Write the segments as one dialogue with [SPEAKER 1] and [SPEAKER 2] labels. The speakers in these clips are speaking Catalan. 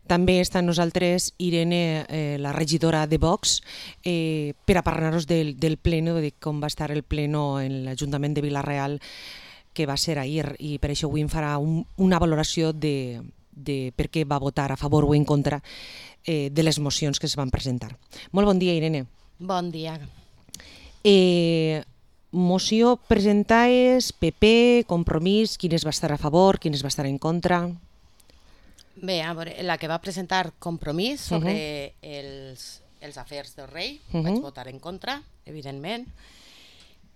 [SPEAKER 1] També està amb nosaltres Irene, la regidora de Vox, per a parlar-nos del pleno, de com va estar el pleno en l'Ajuntament de Vila-real, que va ser ahir, i per això avui em farà una valoració de per què va votar a favor o en contra de les mocions que es van presentar. Molt bon dia, Irene.
[SPEAKER 2] Bon dia.
[SPEAKER 1] Moció presentades, PP, Compromís, quines va estar a favor, quines va estar en contra?
[SPEAKER 2] Bé, a veure, la que va presentar Compromís sobre els afers del rei, vaig votar en contra, evidentment.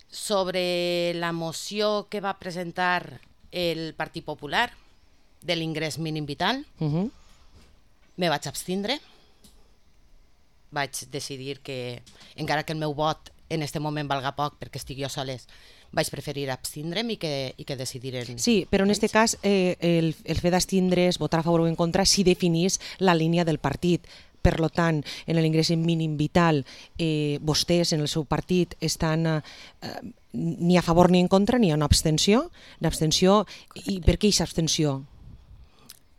[SPEAKER 2] Sobre la moció que va presentar el Partit Popular de l'ingrés mínim vital, me vaig abstindre. Vaig decidir que, encara que el meu vot en aquest moment valga poc perquè estic jo soles, vaig preferir abstindre'm i que decidiren.
[SPEAKER 1] Sí, però en aquest cas el fet d'abstindre's, votar a favor o en contra, sí definís la línia del partit. Per tant, en l'ingrés mínim vital, vostès en el seu partit estan ni a favor ni en contra, ni a una abstenció. I per què aquesta abstenció?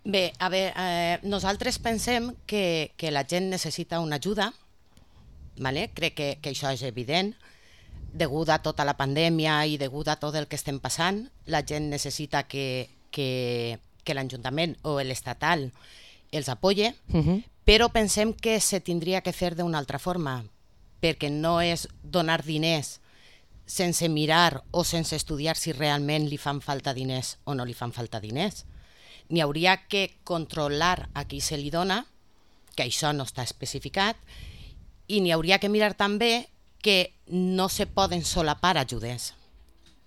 [SPEAKER 2] Bé, a veure, nosaltres pensem que la gent necessita una ajuda, crec que això és evident, degut a tota la pandèmia i degut a tot el que estem passant. La gent necessita que l'Ajuntament o l'estatal els apoye, però pensem que se tindria que fer d'una altra forma, perquè no és donar diners sense mirar o sense estudiar si realment li fan falta diners o no li fan falta diners. N'hi hauria que controlar a qui se li dona, que això no està especificat, i n'hi hauria que mirar també que no se poden solapar ajudes.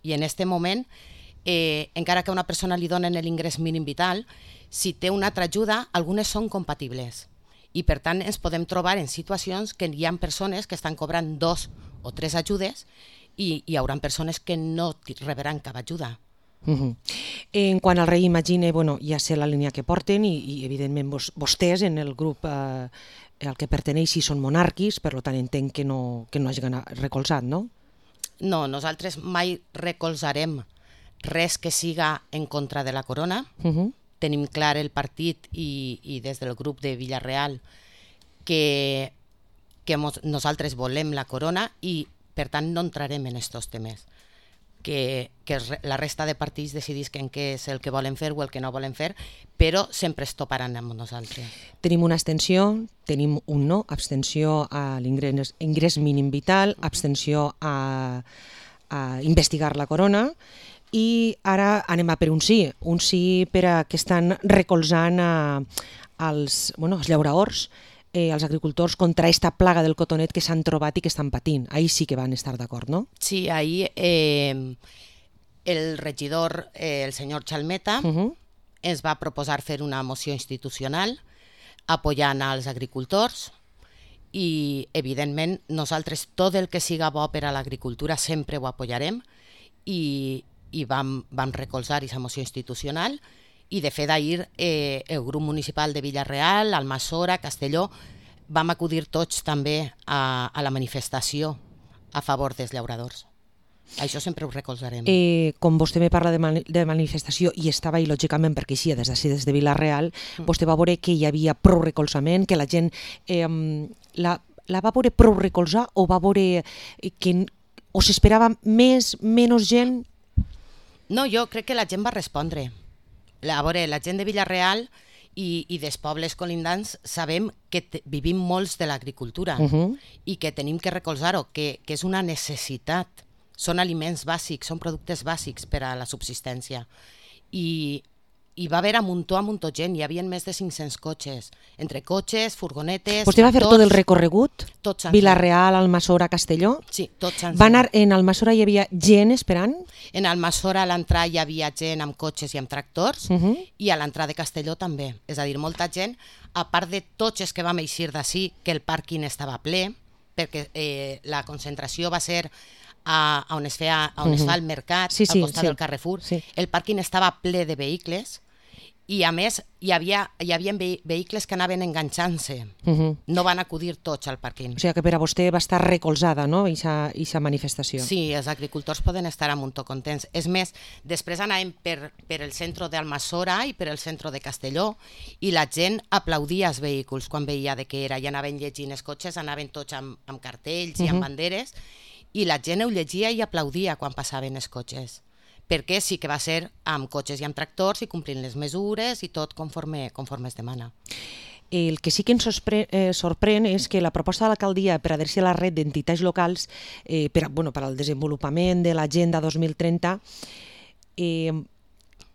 [SPEAKER 2] I en aquest moment, encara que a una persona li donen l'ingrés mínim vital, si té una altra ajuda, algunes són compatibles. I per tant ens podem trobar en situacions que hi ha persones que estan cobrant 2 o 3 ajudes i hi haurà persones que no rebran cap ajuda.
[SPEAKER 1] En quant al rei, imagine, ja sé la línia que porten i evidentment vostès en el grup al que perteneixi són monàrquics, per tant entenc que no hagin recolzat, no?
[SPEAKER 2] No, nosaltres mai recolzarem res que siga en contra de la corona. Tenim clar el partit i des del grup de Vila-real que nosaltres volem la corona i per tant no entrarem en aquests temes. Que la resta de partits decidisquen què és el que volen fer o el que no volen fer, però sempre es toparan amb nosaltres.
[SPEAKER 1] Tenim una abstenció, tenim un no, abstenció a l'ingrés mínim vital, abstenció a investigar la corona, i ara anem a per un sí per a que estan recolzant els llauradors, els agricultors contra aquesta plaga del cotonet que s'han trobat i que estan patint. Ahir sí que van estar d'acord, no?
[SPEAKER 2] Sí, ahir el regidor, el senyor Chalmeta, ens va proposar fer una moció institucional apoyant als agricultors i, evidentment, nosaltres tot el que siga bo per a l'agricultura sempre ho apoyarem i vam recolzar aquesta moció institucional. I de fet ahir el grup municipal de Vila-real, Almassora, Castelló, vam acudir tots també a la manifestació a favor dels llauradors. Això sempre ho recolzarem.
[SPEAKER 1] Com vostè me parla de manifestació i estava ahí lògicament perquè així des de Vila-real, vostè va veure que hi havia prou recolzament, que la gent la va veure prou recolzar o va veure que o s'esperava menys gent?
[SPEAKER 2] No, jo crec que la gent va respondre. A veure, la gent de Vila-real i dels pobles colindants sabem que vivim molts de l'agricultura i que tenim que recolzar-ho, que és una necessitat. Són aliments bàsics, són productes bàsics per a la subsistència. I va haver a muntó gent, hi havia més de 500 cotxes, entre cotxes, furgonetes...
[SPEAKER 1] Vostè va fer tot el recorregut?
[SPEAKER 2] Tots.
[SPEAKER 1] Vila-real, Almassora, Castelló?
[SPEAKER 2] Sí, tots.
[SPEAKER 1] En Almassora hi havia gent esperant?
[SPEAKER 2] En Almassora a l'entrada hi havia gent amb cotxes i amb tractors i a l'entrada de Castelló també. És a dir, molta gent, a part de tots els que vam eixir d'ací, que el pàrquing estava ple, perquè la concentració va ser on es fa el mercat, al costat del Carrefour. El pàrquing estava ple de vehicles I a més hi havia vehicles que anaven enganxant-se, no van acudir tots al pàrquing.
[SPEAKER 1] O sigui que per a vostè va estar recolzada, no?, aquesta manifestació.
[SPEAKER 2] Sí, els agricultors poden estar a muntó contents. És més, després anàvem per el centre d'Almassora i per el centre de Castelló i la gent aplaudia els vehicles quan veia de què era, i anaven llegint els cotxes, anaven tots amb cartells i amb banderes, i la gent ho llegia i aplaudia quan passaven els cotxes, perquè sí que va ser amb cotxes i amb tractors i complint les mesures i tot conforme es demana.
[SPEAKER 1] El que sí que ens sorprèn és que la proposta de l'alcaldia per adherir a la red d'entitats locals per al desenvolupament de l'Agenda 2030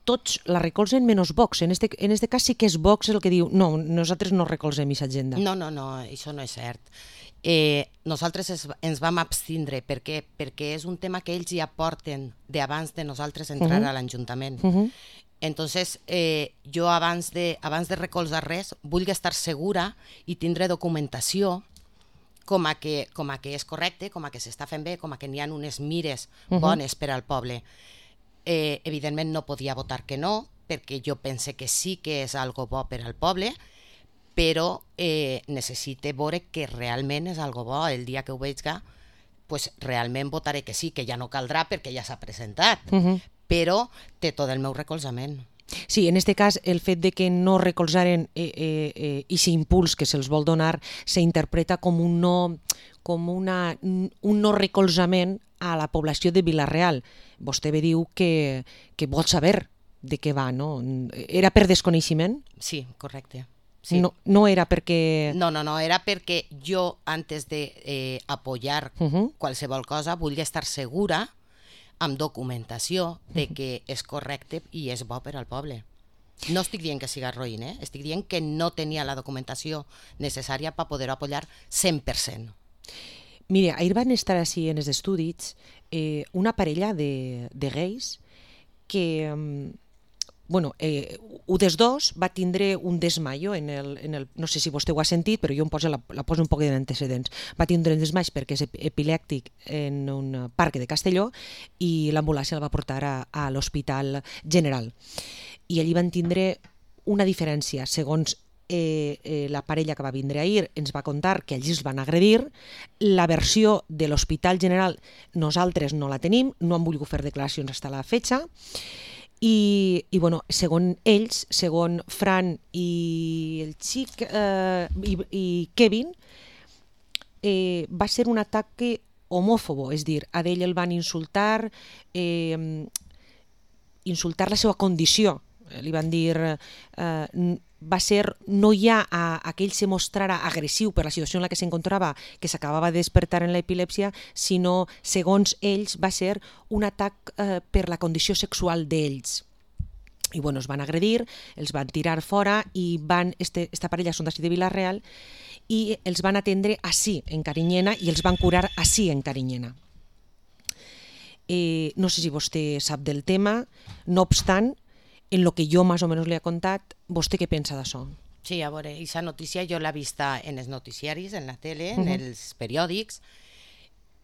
[SPEAKER 1] tots la recolzen menys Vox. En este cas sí que és Vox el que diu no, nosaltres no recolzem aquesta agenda.
[SPEAKER 2] No, això no és cert. Nosaltres ens vam abstindre perquè és un tema que ells ja porten d'abans de nosaltres entrar a l'Ajuntament. Entonces, jo abans de recolzar res vull estar segura i tindre documentació com a que és correcte, com a que s'està fent bé, com a que n'hi ha unes mires bones per al poble. Evidentment no podia votar que no, perquè jo pense que sí que és algo bo per al poble, però necessite veure que realment és algo bo. El dia que ho veiga, pues realment votaré que sí, que ja no caldrà perquè ja s'ha presentat, però té tot el meu recolzament.
[SPEAKER 1] Sí, en aquest cas el fet de que no recolzaren aquest impuls que se'ls vol donar s'interpreta com un no recolzament a la població de Vila-real. Vostè bé diu que vol saber de què va, no? Era per desconeixement?
[SPEAKER 2] Sí, correcte. Sí.
[SPEAKER 1] No era perquè...
[SPEAKER 2] No, era perquè jo, antes de apoyar qualsevol cosa, vull estar segura amb documentació de que és correcte i és bo per al poble. No estic dient que siga roïn, estic dient que no tenia la documentació necessària per poder apoyar 100%.
[SPEAKER 1] Mira, ahir van estar així en els estudis una parella de gais que... un dels dos va tindre un desmaio no sé si vostè ho ha sentit, però jo la poso un poc d'antecedents. Va tindre un desmaig perquè és epilèptic en un parc de Castelló i l'ambulància el va portar a l'Hospital General. I allí van tindre una diferència. Segons la parella que va vindre ahir ens va contar que allí els van agredir. La versió de l'Hospital General nosaltres no la tenim, no han volgut fer declaracions fins a la fecha. I segons ells, segons Fran i el xic i Kevin, va ser un atac homòfobo, és a dir, a ell el van insultar la seva condició. Li van dir va ser no ja que ell se mostrara agressiu per la situació en la que s'encontrava, que s'acabava de despertar en l'epilèpsia, sinó, segons ells, va ser un atac per la condició sexual d'ells. I es van agredir, els van tirar fora i esta parella són d'ací de Vila-real i els van atendre ací en Carinyena i els van curar ací en Carinyena. No sé si vostè sap del tema, no obstant, en lo que jo més o menys li he contat, vostè què pensa d'això?
[SPEAKER 2] Sí, a veure, aquesta notícia jo l'he vista en els noticiaris, en la tele, en els periòdics.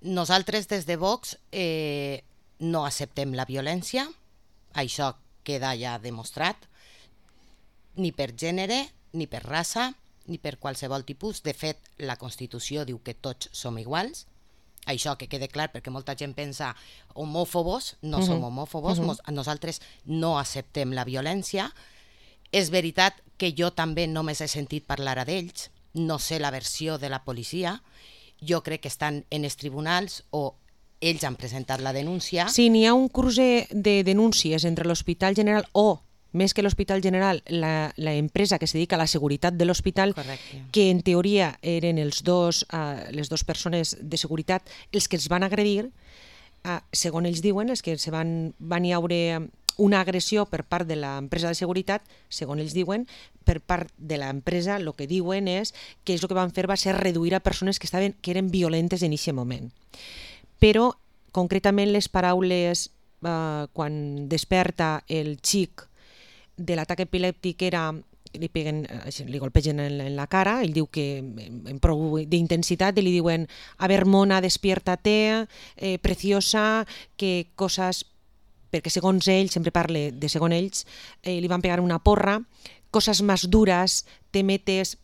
[SPEAKER 2] Nosaltres des de Vox no acceptem la violència, això queda ja demostrat, ni per gènere, ni per raça, ni per qualsevol tipus. De fet, la Constitució diu que tots som iguals. Això que quede clar, perquè molta gent pensa homòfobos, no som homòfobos, nosaltres no acceptem la violència. És veritat que jo també només he sentit parlar d'ells, no sé la versió de la policia, jo crec que estan en els tribunals o ells han presentat la denúncia.
[SPEAKER 1] Sí, n'hi ha un cruce de denúncies entre l'Hospital General o, més que l'Hospital General, la empresa que es dedica a la seguretat de l'hospital, que en teoria eren les dues persones de seguretat els que els van agredir, segons ells diuen, els que van hi haure una agressió per part de l'empresa de seguretat, segons ells diuen, per part de l'empresa el que diuen és que el que van fer va ser reduir a persones que eren violentes en aquest moment. Però, concretament, les paraules quan desperta el xic de l'atac epilèptic era li golpegen en la cara, ell diu que en prou d'intensitat, i li diuen a ver mona, despiértate, preciosa, que cosas perquè segons ell, sempre parle de segons ells, li van pegar una porra, cosas más duras, te metes...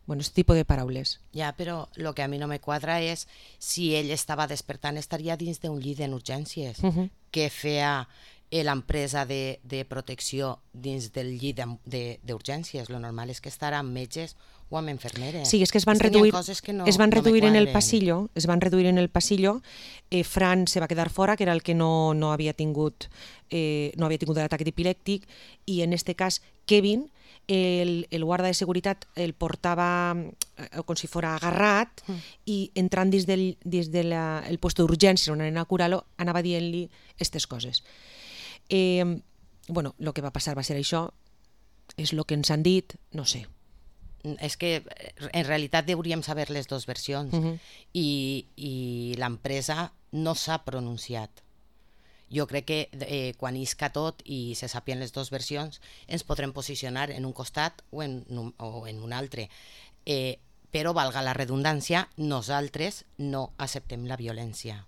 [SPEAKER 1] Bueno, este tipo de paraules.
[SPEAKER 2] Ja, però el que a mi no me quadra és si ell estava despertant, estaria dins d'un llit d'urgències. Què feia l'empresa de protecció dins del llit d'urgències? Lo normal és que estarà amb metges o amb infermeres.
[SPEAKER 1] Sí, és que es van reduir en el pasillo, Fran se va quedar fora, que era el que no havia tingut l'atac epilèptic, i en este cas Kevin, el guarda de seguretat el portava com si fos agarrat i entrant dins del puesto d'urgències on anava a curar-lo, anava dient-li aquestes coses. Bueno, el que va passar va ser això, és el que ens han dit, no sé.
[SPEAKER 2] És que en realitat hauríem saber les dues versions i l'empresa no s'ha pronunciat. Jo crec que quan isca tot i se sàpien les dues versions ens podrem posicionar en un costat o en un altre. Però, valga la redundància, nosaltres no acceptem la violència.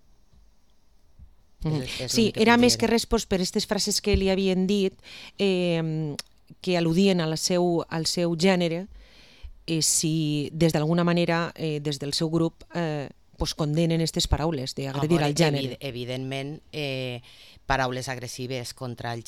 [SPEAKER 1] Sí, era més que res per aquestes frases que li havien dit que al·ludien al seu gènere, si des d'alguna manera des del seu grup condenen aquestes paraules d'agredir al gènere.
[SPEAKER 2] Evidentment, paraules agressives contra el